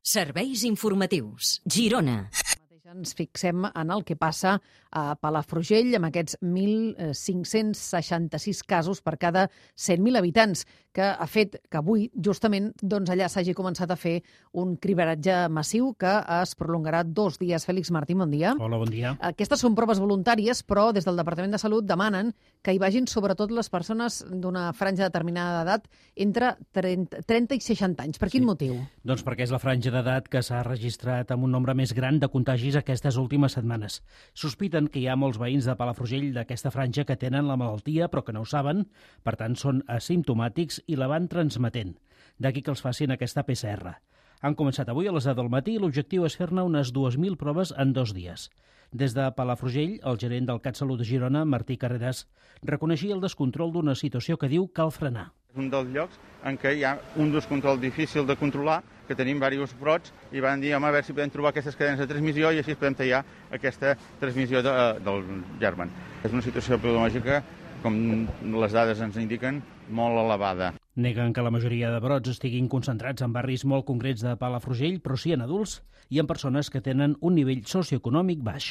Serveis informatius. Girona. Ens fixem en el que passa a Palafrugell amb aquests 1.566 casos per cada 100.000 habitants, que ha fet que avui, justament, allà s'hagi començat a fer un cribaratge massiu que es prolongarà 2 dies. Fèlix Martín, bon dia. Hola, bon dia. Aquestes són proves voluntàries, però des del Departament de Salut demanen que hi vagin sobretot les persones d'una franja determinada d'edat entre 30 i 60 anys. Per quin motiu? Doncs perquè és la franja d'edat que s'ha registrat amb un nombre més gran de contagis aquestes últimes setmanes. Sospiten que hi ha molts veïns de Palafrugell d'aquesta franja que tenen la malaltia però que no ho saben, per tant són asimptomàtics i la van transmetent. D'aquí que els facin aquesta PCR. Han començat avui a les 10 del matí i l'objectiu és fer-ne unes 2.000 proves en 2 dies. Des de Palafrugell, el gerent del CatSalut de Girona, Martí Carreras, reconeixia el descontrol d'una situació que diu cal frenar. És un dels llocs en què hi ha un descontrol difícil de controlar, que tenim diversos brots, i van dir, home, a veure si podem trobar aquestes cadenes de transmissió i així podem tallar aquesta transmissió del germen. És una situació epidemiològica, com les dades ens indiquen, molt elevada. Neguen que la majoria de brots estiguin concentrats en barris molt concrets de Palafrugell, però sí en adults i en persones que tenen un nivell socioeconòmic baix.